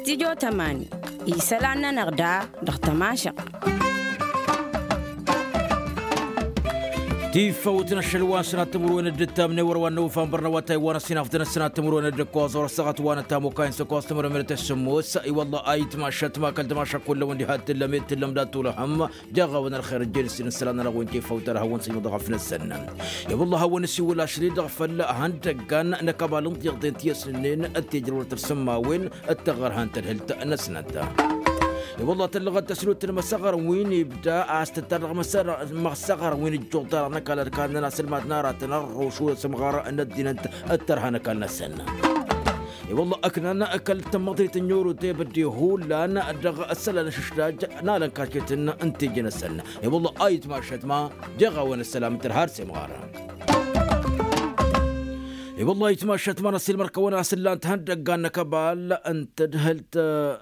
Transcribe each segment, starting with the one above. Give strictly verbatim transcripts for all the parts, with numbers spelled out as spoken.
Tijo tămani isălan-nănăɣ da dăɣ-tămašăɣt. Tifăwt n-ašăl wa n-sănat timǝrwen d-ǝttamne wăr wa n-năwăfan băr n-awătay wa n-ăsinafdăn ăssinat timǝrwen d-ǝkkoẓ wăr-ăssaɣăt wa n-ătamokay n-săkoẓ timǝrwen d-tăssǝmmos. I-wălla ayǝtmašat ma kăl-tamašăk kull-ăwăn diha t-tǝllăm i-t-tǝllăm dat-tulăhăm jaɣ-awăn ălxer ăjjeen s-inǝssălan-nănăɣ wi n-tifăwt ar hawăn-sǝjmăḍ ɣăf-năsăn. I-wălla hawăn-ăsiwǝl ašli dăɣ-făll-ihăndăggan n-akăbal n-tiɣḍe n-tiyyăsnǝnnen d-tejrăwăt tăr-sǝmmawen d-tăɣărhăn tadhǝlt-năsnăt. I-wălla tăllăɣăt tăslut n-imăsăɣăr wi n-ibda a-s tǝttar dăɣ-imăsăɣăr wi n-ǝjjuḍ-ta-dăɣ n-ăkall ărkannăn asǝlmat n-aratăn ărruš u-sǝmɣăr n-ăddinăt d-tărha n-ăkall-năsăn. I-wălla ǝknan kăl-tămmăḍrit n-yurut i-bădde hullan dăɣ-isălan n-ašǝšdaj n-alănkašet n-tejje-năsăn. I-wălla a itmašăt ma jeɣ-awăn ăssălam n-tărha d-semɣar. I-wălla itmašăt ma n-ăsilmăr-kăwăn a-s ǝllan-t ihăndăggan n-akăbal n-tadhǝlt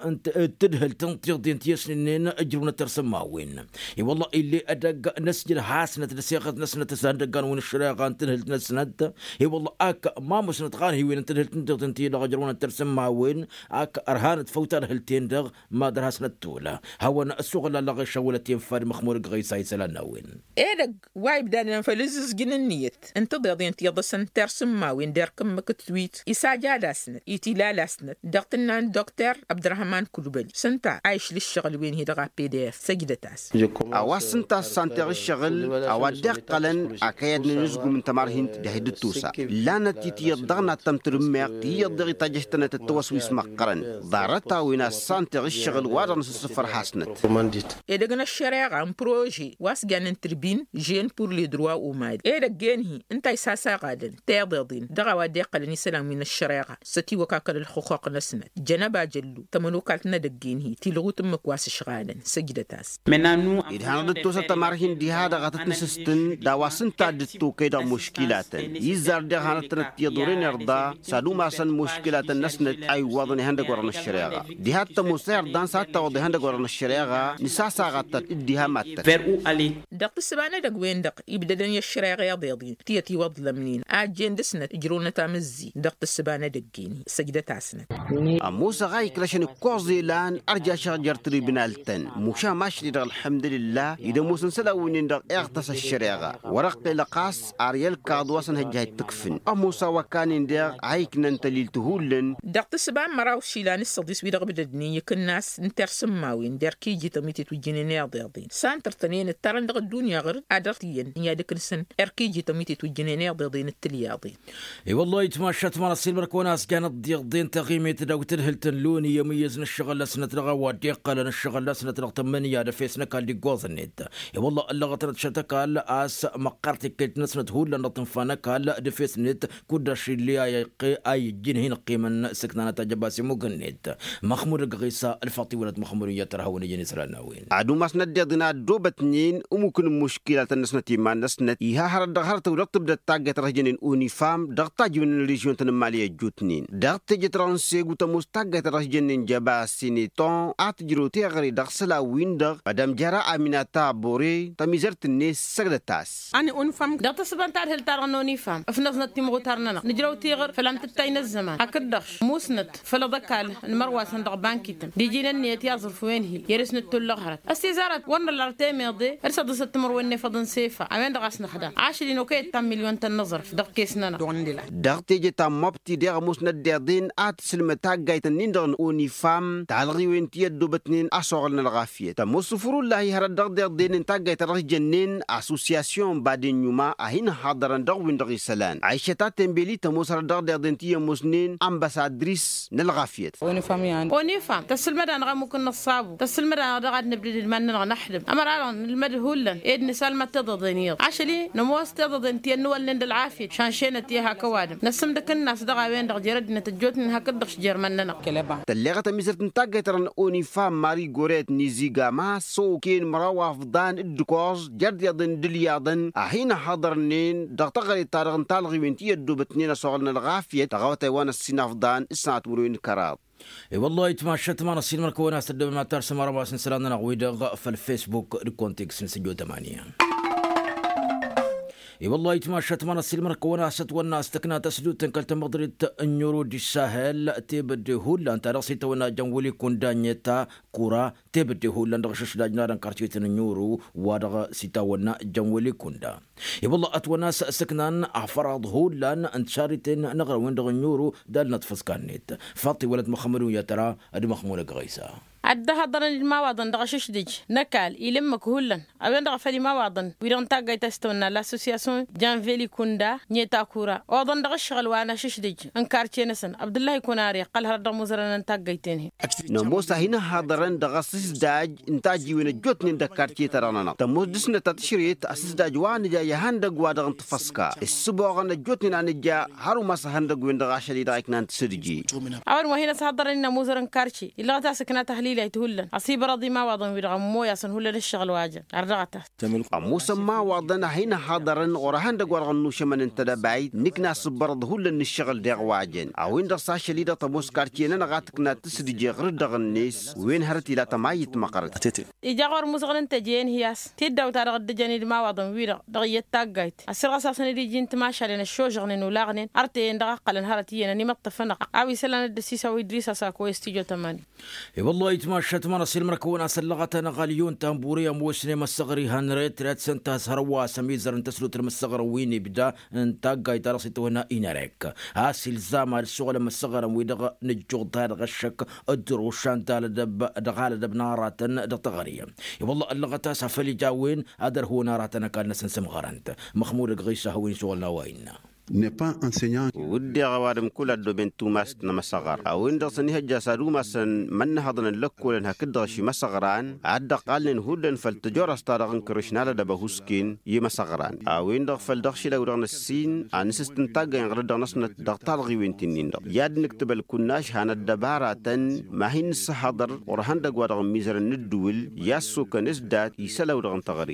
n-tadhǝlt n-tiɣḍe n-tiyyăsnǝnnen ǝjrǝwnăt tăr-sǝmmawen. I-wălla ill'-e edăgg n-ăsjǝl hasnăt d-aseɣăt-năsnăt s-ihăndăggan wi n-ăššăreɣa n-tadhǝlt-năsnăt. I-wălla ak ma musnăt ɣarhiwen n-tadhǝlt n-tiɣḍe n-ti-dăɣ ǝjrǝwnăt tăr-sǝmmawen ak ărhanăt făw tadhǝlt-en-dăɣ. Ma dăr-hasnăt tolă hawăn-ăssuɣǝl allăɣ išăwwălăt i-infad măxmud ăgg ɣisa isălan n-a-wen. Edăgg wa ibdadăn făll-ǝzzǝzjǝn ǝnniyăt n-tiḍeḍen ti iḍǝsăn tersǝmmawen d-erk ǝmmǝk d-twit isajad-asnăt itilal-asnăt dăɣ-tǝnna n-dokter abdărahman kulbăli s-ǝnta a išla ǝššăɣǝl-wen-hi dăɣ-a pdf săjdăt-as. A-wa s-ǝnta a s-santeɣ ǝššăɣǝl a-wa dd-iqqălăn akăyăd n-inǝzgum n-tămarhint diha dd-tusa. Lanăt-i tiyyăḍ dăɣ-nattăm tǝrǝmmeɣ tiyyăḍ daɣ itajjăš-tănăt d-tawăswis măqqărăn. Ḍarăt-a-wen a s-santeɣ ǝššăɣǝl wa dăɣ-nǝsǝssǝfăr hasnăt. Edăgg n-ăššăreɣa n-prože wa s-jannen tǝrbin žen pur ledrua umali edăgg-en-hi ǝnta a isasaɣadăn tiḍeḍen dăɣ-a-wa dd-iqqălăn isălan wi n-ăššăreɣa s-ătiwăkakăl ălxuxuq-năsnăt. Jănăba jăllu tămănokalt n-edăgg-en-hi tilɣut ǝmmǝk wa s-ǝšɣalăn săjdăt-as. Ed hanăɣ-dd-tosa tămarhin diha-dăɣ a tăt-nǝsǝstǝn d-a-wa s-ǝnta a dd-tokăy dăɣ-muškilatăn izzar diɣ hanăt-tănăt tiḍuren irḍa s-ad-umasăn muškilatăn-năsnăt a iwwaḍăn ihăndăgg wa dăɣ-năššăreɣa. Diha t-ămoos irḍan s-ad-tawăḍ ihăndăgg wa dăɣ-năššăreɣa nǝsasăɣăt-tăt d-diha mad-tăt. Dăɣ-tǝssǝba n-edăgg-wen-dăɣ ibdădăn i-ăššăreɣa iḍeḍen ti ătiwăḍlămnen a ăjjeen dăr-snăt ǝjrăwnăt amǝzzi dăɣ-tǝssǝba n-edăgg-en-hi săjdăt-asnăt. Ămoosăɣ a ikrăšăn ǝkkoẓ elan ărjašăɣ jer-tribinal-tăn mušam ašli-dăɣ ălḥămdǝlǝllah. Ed ămoosăn isălan-win-dăɣ iɣtăs ăššăreɣa wăr-ăqqelăɣ ɣas ar i-ălkaḍu a-s ănhăjjăh d-tǝkfǝn. Ămoos a-wa kanen daɣ a iknăn tălilt hullan. Dăɣ-tǝssǝba n-măraw išilan d-săḍis wi-dăɣ ǝbdădnen i-ikǝnnas n-tersǝmmawen d-erk iji tămite tujjǝnen iḍeḍen santăr-tăn-en ǝttarăn dăɣ-ăddunya ɣǝr-dd ad-dăɣ-t iyyăn i-ad-ǝknǝsăn erk iji tămite tujjǝnen iḍeḍen d-tǝlyaḍen. I-wăllah itmašat ma n-ăssiilmăr-kăwăn a-s janăt diḍen taɣimit daw-tadhǝlt n-loni i-amǝyyăz n-ǝššăɣǝl-năsnăt dăɣ-a-wa dd-iqqălăn ǝššăɣǝl-năsnăt dăɣ-tămmănǝya d-efes n-ăkall d-iggoẓ-net. I-wăllah ăllăɣătnăt šăt ăkall a-s măqqar tikelt-năsnăt hullan dăɣ-tǝnfa n-ăkall d-efes-net. Kud-dăɣ šilli a iqqe a ijjǝn hin-ăqqimăn s-ǝknanăt ajăbas imug-net. Măxmud ăgg-ɣisa ălfaṭ iwălăt măxmud iyyăt tărhawăn ijăn isălan n-a-wen. Ad-umasnăt deḍen a ăddoobătnen ǝmmukǝn n-muškilatăn-năsnăt iman-năsnăt iha hărăt dăɣ-hărăt ta-wi dăɣ-tǝbdăd taggayt ta dăɣ-s jănnen unifam dăɣ-tajǝwen n-režion ta n-mali ăjjootnen. Dăɣ-teje ta dăɣ-nǝsegu tămoos taggayt ta dăɣ-s jănnen jăba sineton a tǝjrăw teɣăre dăɣ-isălan-win-dăɣ mădam jăra aminata bore tămizărt-net săgdăt-as. Dăɣ-tǝssǝba n-tadhǝlt-ta-dăɣ n-unifam ǝfnăẓnăt timɣutar-nănăɣ nǝjrăw tiɣǝr făll-amtǝttay n-ăzzăman hakd-dăɣ musnăt făll-aḍăkal n-imărwasăn dăɣ-bankităn d-iji n-ǝnniyăt i-aẓrǝf wen-hi i-dăr-s nǝttullăɣ hărăt. Ăssiizarăt wăr nǝllar temeḍe d-săḍǝsăt timǝrwen n-efăḍ n-sefa a-wen-dăɣ a-s nǝxdam ašăl-in okăy ǝttan milyon-tăn n-aẓrǝf dăɣ-kes-nănăɣ. Dăɣ-teje ta n-mobti deɣ ămoosnăt deḍen ad-tǝslǝmăt taggayt-ǝnnin-dăɣ n-unifam talɣiwen ti ăddoobătnen a-s oɣălăn ălɣafyăt tămoos sufurullah ihărăt dăɣ-deḍen n-taggayt ta dăɣ-s jănnen assosyasyon baden yuma a hin-ǝhhaḍărăn dăɣ-win-dăɣ isălan ašăt a tembeli tămoos hărăt dăɣ-deḍen ti ămoosnen ănbăsadris n-ălɣafyăt. Unifam tăssǝlmăd-anăɣ ămmuk n-ăṣṣabu tăssǝlmăd-anăɣ daɣ ad-nǝbdǝd d-iman-nănăɣ năḥdǝm ămăra-dăɣ nǝlmăd hullan ed nǝsalmăd tiḍeḍen iyyăḍ ašăl-i nămoos tiḍeḍen ti ănnăwălnen d-ălɣafyăt šanšenăt i-hak ăwadǝm năssǝmdǝk ǝnnas dăɣ-a-wen-dăɣ jer-ăddinăt ăjjootnen hakd-dăɣ šjer iman-nănăɣ. Tălleɣăt ămizărt n-taggayt-ta-dăɣ n-unifam mari goret n-iziga ma s-okăyăn măraw afḍan d-ǝkkoẓ jer-deḍen d-ǝlyaḍăn a hin-ăhhăḍărnen dăɣ-taɣret-ta-dăɣ n-talɣiwen ti ăddoobătnen ăsoɣăl n-ălɣafyăt dăɣ-awătay wa n-ăssinafḍan s-sănat timǝrwen d-kăraḍ. I-wăllah itmašat ma n-ăssiilmăr-kăwăn a-s tăddăbem ad-tarsăm arămas n-isălan-nănăɣ-wi-dăɣ făll-facebook d-kontiks n-săjo tămanya. I-wălla itmašat ma n-ăssiilmăr-kăwăn a-s ătwănna a-s tǝkna tăsdut n-kăl-tamăḍrit n-juru d-issahel tebădde hullan ta dăɣ-s itawănna jăn wăli kunda n-eta kura tebădde hullan dăɣ-ašǝšdaj n-ad-ănkarcetăn n-juru wa dăɣ-s itawănna jăn wăli kunda. I-wălla ătwănna a-s sǝknan afăraḍ hullan n-tišarriten n-aɣrăwen dăɣ-juru d-alnăṭṭfăska-net. Faṭi wălăt măxămmăd uyyăt tăra d-măxmulăg ɣisa. Ad-dd-ăhhăḍărăn d-imawaḍăn dăɣ-ašǝšdǝj n-ăkall ilǝmmǝk hullan a-wen-dăɣ a făl imawaḍăn wi-dăɣ n-taggayt a-s tăwănna l-associasyon janveli kunda n-etakura oḍăn dăɣ-ǝššăɣǝl wa n-ašǝšdǝj n-karce-năsăn abdǝllahi kunare iqqăl hărăt dăɣ-imuzărăn n-taggayt-en-hi. Nămoos a hin-ăhhăḍărăn dăɣ-asǝsdaj n-tajjiwen ăjjootnen dăɣ-karce-ta-dăɣ-nănăɣ tămoos dăɣ-snăt a tǝšrǝyăt asǝsdaj wa nǝja i-ehăndăg wa dăɣ-n tǝfăska ǝssǝboɣăn ăjjootnen a nǝja hărumăs ehăndăg-wen-dăɣ ašăl-i-dăɣ a iknan tǝsǝdje. A-wen wa hin-ăshăḍărăn-in ămuzăr n-karce illăɣăt a-s ǝkna tăhlilayt hullan ăṣibărăḍ imawaḍăn-wi-dăɣ ămmoy a-săn hullan ǝššăɣǝl wa jăn ărdăɣăt-as. Ămoosăn imawaḍăn a hin-ăhhăḍărăn ɣur-ehăndăg wa dăɣ-ănnušămăn n-tedăbayt nǝkna asǝbbărăḍ hullan n-ǝššăɣǝl deɣ wa jăn a-wen-dăɣ s-ašăl-i-dăɣ tămoos karce-nănăɣ a tǝkna tǝsǝdje ɣǝrǝd-dăɣ-net wen hărăt ila tămayyǝt măqqărăt. Ija ɣur-imuzăɣăn n-teje-en-hi a-s tiddaw-ta-dăɣ dd-ǝjăn idmawaḍăn-wi-dăɣ dăɣ-iyyăt taggayt ăssirɣas-asăn-dd iji n-timašalen ăššožăɣnen olaɣnen ărtăyăn dăɣ-iqqălăn hărăt iyyăn ănimăṭṭăfăn-aɣ a-wa isălan dd-ăssisaw idris asako i-studyo tămani. I-wăllah itmašat ma n-ăsilmăr-kăwăn a-s ăllăɣăt-anăɣ alyon tambure ămoosnen imăssăɣri han retret s-ǝnta a-s hărwa s-ămizăr n-tăslot n-imăssăɣrăn wi n-ibda n-taggayt ta dăɣ-s itwănna inerek a-s ilzam ad-ăssoɣlăm ăssăɣrăn-wi-dăɣ nǝjjuḍ-ta dăɣ-ăššăk dd-rušan dăɣ-alădăb n-aratăn dăɣ-teɣăre. I-wăllah ăllăɣăt a-s afăl ija a-wen ad-ărhǝwăn aratăn ăkall-năsăn s-ǝmɣărăn-t. Măxmud ăgɣisa a-wen isăwălna wa innă. Wǝddeɣ ăwadǝm kull ăddooben tumast n-imăsăɣăr a-wen-dăɣ s-ănihăjja s-ad-umasăn imănnăhăḍăn n-lăkkolăn hakd-dăɣ ašimăsăɣran ad-dd-ăqqalnen hullan făll-tăjorăst-ta-dăɣ n-kărǝš n-alădăb ăhuusken i-imăsăɣran. A-wen-dăɣ făl dăɣ-ašăl a-wi-dăɣ năssin ad-nǝsǝst n-taggăyăn ɣărăt dăɣ-năsnăt dăɣ-taḍɣiwen ti-nin-dăɣ i-ad-nǝktǝb ălkunaš han ăddăbaratăn ma hin-nǝsǝhhăḍăr ɣur-ehăndăgg wa dăɣ-ămmizărăn n-ǝddǝwǝl i-ad-sokăn s-dat isălan-wi-dăɣ n-teɣăre.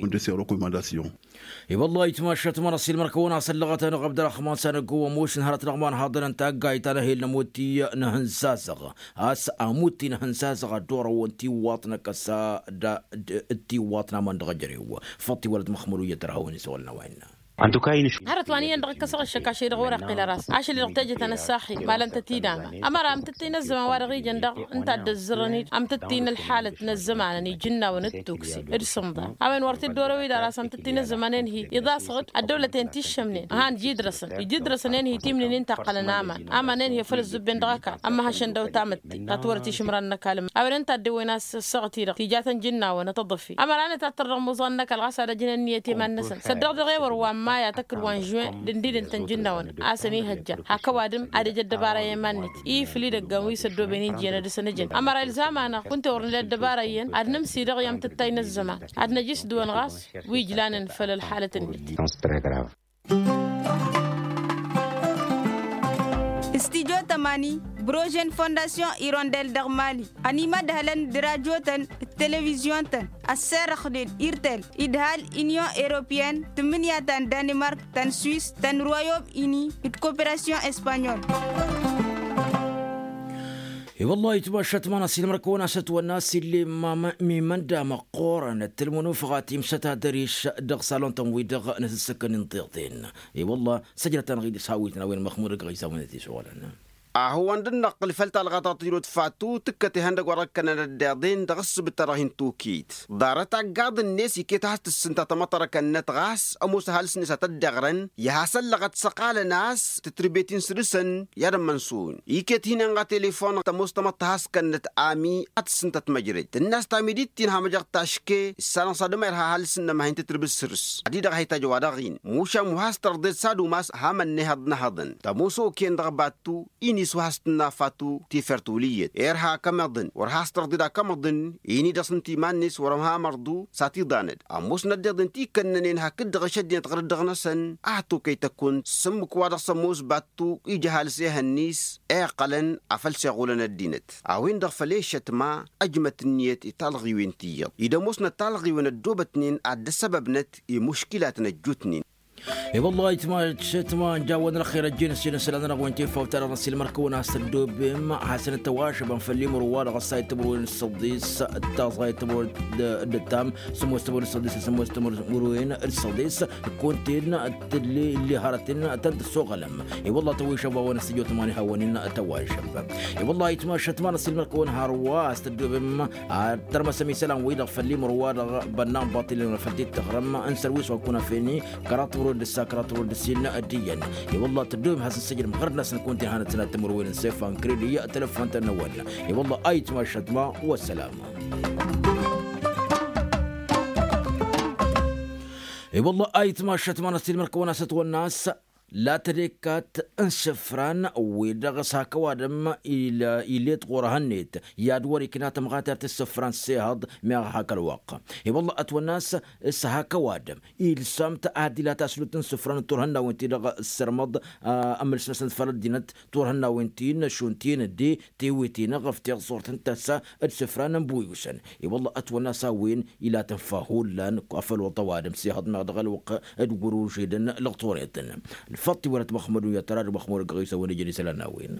I-wăllah itmašat ma n-ăsilmăr-kăwăn a-s ăllăɣăt-anăɣ abd-ălrăxman s-ad-ăgg-ăwwăm ošăn hărăt dăɣ-iman haḍăn n-taggayt ta n-ehel n-amutti n-ehăn zazăɣ a-s amutti n-ehăn zazăɣ ad-dd-orăwăn tiwwaḍt n-akăsa d-tiwwaḍt n-aman dăɣ-ejărew. Făḍt-i wălăt măxmăd uyyăt tărhawăn isăwălna wa innă. Hărăt wa n-iyyăn dăɣ-ǝkkăsăɣ ǝššăk ašăl-i-dăɣ wăr-iqqǝl ăras ašăl-i-dăɣ teje ta n-ăssaxi malăn-tăt-i d-aman ămăra amtǝtti n-ăzzăman wa dăɣ-ijăn dăɣ-ǝnta a dd-ăzzărăn-dd amtǝtti n-ălḥalăt n-ăzzămanăn ijǝnnawăn d-tuksi d-sǝmḍan a-wen wăr t-dd-orăw-dd ăras amtǝtti n-ăzzăman-en-hi iḍasăɣ-dd ăddăwlăten ti ǝššămnen han jidrăsăn ijǝdrăsăn-en-hi timnǝnen taqqălăn aman aman-en-hi a făl ǝzzǝbben dăɣ-ăkall ămmăhăšăn dăw-tamǝtte ta t-wărăt išǝmran n-ăkall. A-wen ǝnta a dd-ewwen a-s ăssaɣăt-i-dăɣ tija tăn-jǝnnawăn ad-tăḍǝf-i ămăra n-ad-tattăr dăɣ-imuẓan n-ăkall ɣas ad-ăjnen ǝnniyăt i-iman-năsăn săddăɣ dăɣ-ewăr wa n-maya tăkkǝd wa n-žuwen d-ǝndidǝn-tăn jǝnnawăn a-s ănihăjja hak ăwadǝm ad-ăj ăddăbara i-iman-net ifǝl idăggan wi s-ăddooben injǝyăn ad-dăr-săn ǝjǝn ămăra ilzam-anăɣ kunta wăr nǝla ăddăbara iyyăn ad-nǝmsi dăɣ-i amtǝttay n-ăzzăman ad-năj isdǝwăn ɣas wi ǝjlanăn făll-ălxalăt-net. Studyo tămani brožen fondasyon irondel dăɣ-mali ănimădhălăn d-rajo-tăn d-televizyon-tăn ăsserăxnen irtel idhal inyon europeyăn tǝmmǝnǝya ta n-danimark ta n-swis ta n-royom ini d-koperasyon espanyol. I-wăllah itmašat ma n-asilmăr-kăwăn a-s ătwănna a-s ill'-e imănda măqqoorăn d-tǝlmǝnufăɣa timsăt ad-dăr-iš dăɣ-salon-tăn-wi-dăɣ n-asǝssǝkăn n-tiḍen. I-wăllah săjdăt-anăɣ-dd s-hawităn a-wen măxmud ăgg ɣisa a-wen ătiswălăn. Ahăwăn dd-năqqǝl făll-talɣa ta tǝjrăwt fatu tǝkkăt ihăndăgg wa dăɣ-ǝkkănăn ăddeḍen dăɣ-ǝssǝbǝt-ta-dăɣ hin-tokit ḍarăt aggaḍ-net iket a has-tǝssǝnta tamăṭṭărăkăn-năt ɣas ămoos ăhalǝs-net a tăddeɣrăn i-ad-has-ăllăɣăt s-ăqalăn a-s tǝtrǝbet-in săr-săn i-ad-ămmănson iket hin-inɣa telefon tămoos tamăḍt ta has-kănnăt ami ad-tǝssǝntăt măjrăj tǝnn'-as tamidit-in hamăjăɣ taške issanăɣ s-ad-ămayr ha ăhalǝs-nămăhăy n-tǝtrǝbǝt săr-s ad-i-dăɣ hăy tajwa dăɣ-in mušan wa has-tărḍet s-ad-umas hamăn-nehăḍ năhăḍăn tămoos oken dăɣ-battu inis wa has-tǝnna fatu tifert wăl' iyyăt irha akămeḍăn wăr has-tărḍed akămeḍăn ini dăɣ-s ǝnta iman-net wăr-ămhamărḍu s-ad-t-iḍanăd ămoosnăt deḍen ti kănnănen hakd-dăɣ ešăddinăt ɣǝrǝddăɣ-năsăn ad-tokăy tăkkunt s-ǝmmǝk wa dăɣ-s ămoos battu ija ăhalǝs ehăn-is iqqălăn afăl s-iɣulăn ăddinăt a-wen-dăɣ făll-ešătma ăjmăt ǝnniyăt i-talɣiwen ti iyyăḍ-i d-ămoosnăt talɣiwen ăddoobătnen ad-dd-ăssăbăbnăt i-muškilatăn ăjjootnen. I-wălla ayǝtma d-išǝtma n-jawăn ălxer ăjjeen ăssiilăn isălan-nănăɣ wen ti-fawt-ta-dăɣ n-ăssiilmăr-kăwăn a-s tăddobem hasăn-ăttăwašăbăn făll-imǝrwa dăɣ-ăssayăt timǝrwen d-săḍis d-taẓayăt timǝrwen d-ăttam sǝmmos timǝrwen d-săḍis sǝmmos timǝrwen d-săḍis. Kuntin tǝlli illi hărătin tăn-tăssoɣălăm. I-wălla tăwišăb-awăn ăssijot iman-ihawăn-in tăwašăb. I-wălla ayǝtma d-išǝtma n-ăssiilmăr-kăwăn hărwa a-s tăddobem ad-tărmăsăm isălan-wi-dăɣ făll-imǝrwa dăɣ-bănna n-baṭilăn făll-ti-t tăɣrăm n-sărwis wa ǝkkun a-fen-i kăraḍ timǝrwen d-ǝssa kăraḍ timǝrwen d-ǝssin d-iyyăn. I-wălla tăddobem has-ǝssǝjrǝm ɣărnasăn kunta ihănăt-săn ad-timǝrwen n-sefan kredi telăfan-tăn-năwăn. I-wălla ayǝtma d-išǝtma. Wăssalam. I-wălla ayǝtma d-išǝtma n-ăssiilmăr-kăwăn a-s ătwănna a-s la tădekkat n-isǝfran wi-dăɣ s-hak ăwadǝm ilet ɣur-ehăn-net i-ad-wăr-ikna tămɣatert isǝfran s-ehăḍ. Meɣ hak ălwăqq i-wălla ătwănna a-s s-hak ăwadǝm ilsamt ad-ila taslut n-isǝfran d-turhǝnnawen-ti-dăɣ s-sărmăḍ ămǝls-năsăn făll-ăddinăt turhǝnnawen-ti n-ašun ti n-ăddi tiwit-i-năɣ ɣef tiẓẓurt n-tassa d-isǝfran n-buyusăn. I-wălla ătwănna a-s a-wen ila tǝnfa hullan afăl oḍ ăwadǝm s-ihăḍ meɣ dăɣ-ălwăqq d-wăr-užedăn lăɣtureten. Nǝfăḍ tiwărăt măxmăd uyyăt tăra d-măxmăd ăggăɣ-isăwăn ijăn isălan n-a-wen.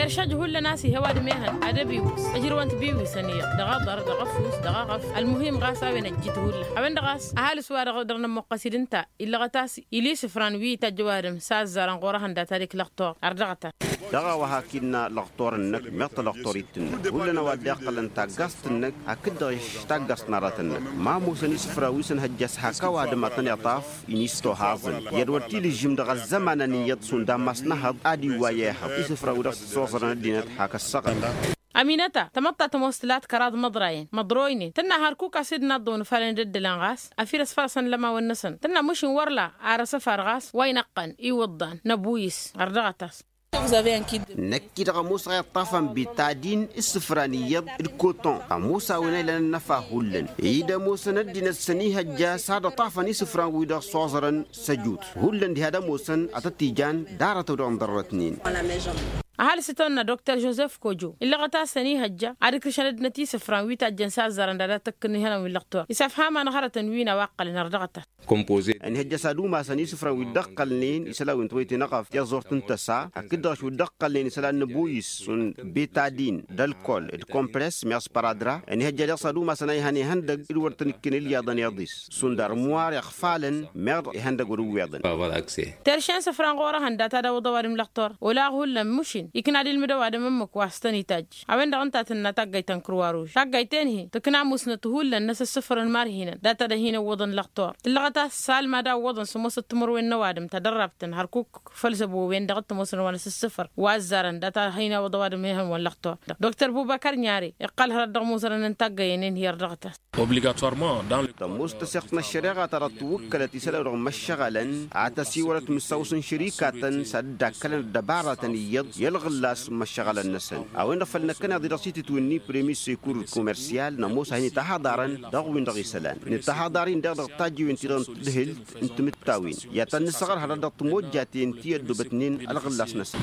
Iršăj hullan a-s ih' ăwadǝm ehăn ad-ăbiwǝs ǝjrǝwăn-t biwǝsăn iyyăḍ dăɣ-aḍăr dăɣ-ăfus dăɣ-aɣăf. Ălmuhim ɣas a-wen ăjjit hullan a-wen-dăɣ a-s ăhalǝs wa dăɣ-dăr-nămmuqqăs-dd ǝnta illăɣăt a-s ili isǝfran wi itajj ăwadǝm s-azzarăn ɣur-ehăn data dik lăxtor ărdăɣăt-as. Dăɣ-a-wa hak innă lăxtor-năk meɣ talăxtor-i t-tǝnnă hullan ăwadǝm iqqălăn taggast-năk hakd-dăɣ-i taggast n-aratăn-năk ma ămoosăn isǝfran wi s-ănhăjja s-hak ăwadǝm ad-tăn-iṭṭaf. Inis tohaẓăn i-ad-wăr t-ilǝžžǝm dăɣ-ăzzămanăn iyyăḍ šund ammas n-ehăḍ ad-iwway ehăḍ isǝfran wi-dăɣ s-ăsoẓărăn ăddinăt hak ăssaɣăl. Ăminăta tamăḍt ta tămoos tǝlat kăraḍ imăḍrayăn măḍroynen tǝnna hărkuk a-s dd-naḍḍăw nǝfalăn d-ăddălan ɣas ăfirăs făll-asăn lămawăn-năsăn tǝnna măšin wăr la ar asăfar ɣas wa inăqqăn iwǝḍḍan n-ăbuyyǝs. Ărdăɣăt-as. Năkk-i-dăɣ ămoosăɣ iṭṭafăn betadin isǝfran iyyăḍ d-koton ămoos a-wen a ilan ănnăfa hullan i-dd-ămoosăn ăddinăt s-ănihăjja s-ad-ăṭṭafăn isǝfran-wi-dăɣ s-oẓărăn s-ăjut hullan diha d-ămoosăn ad-tăt-ijan d-arătăw dăɣ-inḍărrătnen. Ăhalǝs itawănna dokter jozef kojo illăɣăt a-s ănihăjja ad-ǝkrǝšăn ăddinăt isǝfran wi tajjăn s-azzarăn d-ad-tăkkǝn ihănan wi n-lăxtor isăfham-anăɣ hărătăn wi n-a-wa ǝqqălăn ărdăɣăt-as. Ănhăjja s-ad-umasăn isǝfran wi dd-ăqqălnen isălan wi n-tawăyten ăɣăf tiẓẓurt n-tăsa hakd-dăɣ wi-dd-ăqqălnen isălan n-ăbuyǝs šund betadin d-ălkol d-kompres meɣ s-păradra. Ănhăjja daɣ s-ad-umasăn a ihăn ihăndăg d-wăr tăn-ikkǝn ilyaḍăn iḍis šund armuwar iɣfalăn meɣ ihăndăg wăr-ǝwweḍăn. Terše n-isǝfran ɣur-ehăn data d-awǝḍ ăwadǝm lăxtor olaɣ hullan măšin ikna d-ilmǝd ăwadǝm ǝmmǝk wa s-tăn-itajj. A-wen-dăɣ ǝnta tǝnna taggayt ta n-kruwa ruž taggayt-en-hi tǝkna ămuusnăt hullan n-asǝssǝfăr n-imarhinăn data d-ad-hin-ăwwăḍăn lăxtor tǝllăɣăt a-s salma d-a ǝwwăḍăn sămoosăt timǝrwen n-ăwadǝm ta dărrabtăn hărkuk făll-zăbo-wen-dăɣ t-ămoosăn wa n-asǝssǝfăr wa ăzzarăn data ad-hin-awǝḍ ăwadǝm ehăn wa n-lăxtor. Dokter bubăkăr nyare iqqăl hărăt dăɣ-imuzărăn n-taggăyen-en-hi ărdăɣăt-as. Tămoos tăseɣt n-ăššăreɣa ta dăɣ-tǝwwǝkkălăt isălan wi-dăɣ măššăɣălăn ad-tăsiwărăt mǝssaw-s n-šărikatăn s-ad-dd-akkălăn ăddăbaratăn iyyăḍ i-ălɣǝllas n-imăššăɣălăn-năsăn. A-wen-dăɣ făl năkkăneḍ-i dăɣ-s itǝtwǝnni premii sekur d-komersyal nămoos ad-hin-itahaḍarăn dăɣ-win-dăɣ isălan nǝtahaḍar-in daɣ dăɣ-tajjăwen-ti-dăɣ n-tǝdhǝlt n-timǝttawin i-ad-tăn-nǝsăɣăr hărăt dăɣ-tămojjaten ti ăddubătnen ălɣǝllas-năsăn.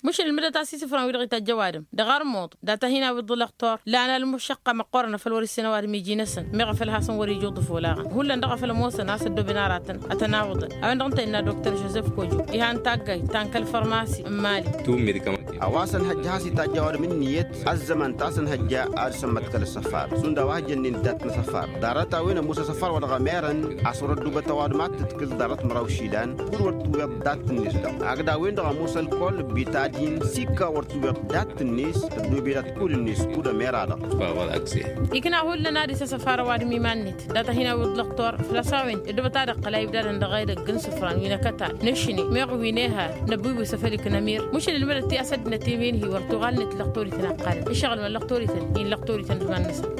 Măšin ǝlmǝdăt a-s isǝfran wi-dăɣ itajj ăwadǝm dăɣ-armuḍ data hin-awǝḍ lăxtor lan ălmušăqqa măqqoorăn afăl wăr-issǝn ăwadǝm iji-năsăn meɣ afăl hasăn wăr-ija uḍǝf olaɣăn hullan dăɣ-afăl ămoosăn a-s ăddooben aratăn ad-tăn-awǝḍăn. A-wen-dăɣ ǝnta innă dokter jozef kojo ihan taggayt ta n-kăl-fărmasi n-mali. A-wa s-ănhăjja a has-itajj ăwadǝm ǝnniyăt ăzzăman ta s-ănhăjja ad-sămmăḍkăl ăssăfar šund a-wa hăjjănnen dat-năsăfar ḍarăt a-wen ămoos asăfar wa dăɣ-emerăn a-s wăr-ăddubăt ăwadǝm ad-tǝdkǝl ḍarăt măraw išilan kud-wăr tǝwweḍ dat-net-dăɣ hakd a-wen-dăɣ ămoos ălkol betadin s-ikka wăr tǝwweḍ dat-net tăddobe dat-kul-net kud-emera-dăɣ. Ikna hullan ad-isăsăfar ăwadǝm iman-net data hin-awǝḍ lăxtor făl-a-s a-wen ăddubăt ad-ăqqăl a ibdadăn dăɣ-edăgg n-isǝfran wi n-akătal n-ašni meɣ wi n-ehar n-ăbwibwi s-afăl ikna mir. Măšan ǝlmǝdăt i-a-s ăddinăt imen-hi wăr tuɣalnet lăxtorităn ăqqalăn ǝššăɣǝlmăn lăxtorităn-in lăxtorităn d-iman-năsăn.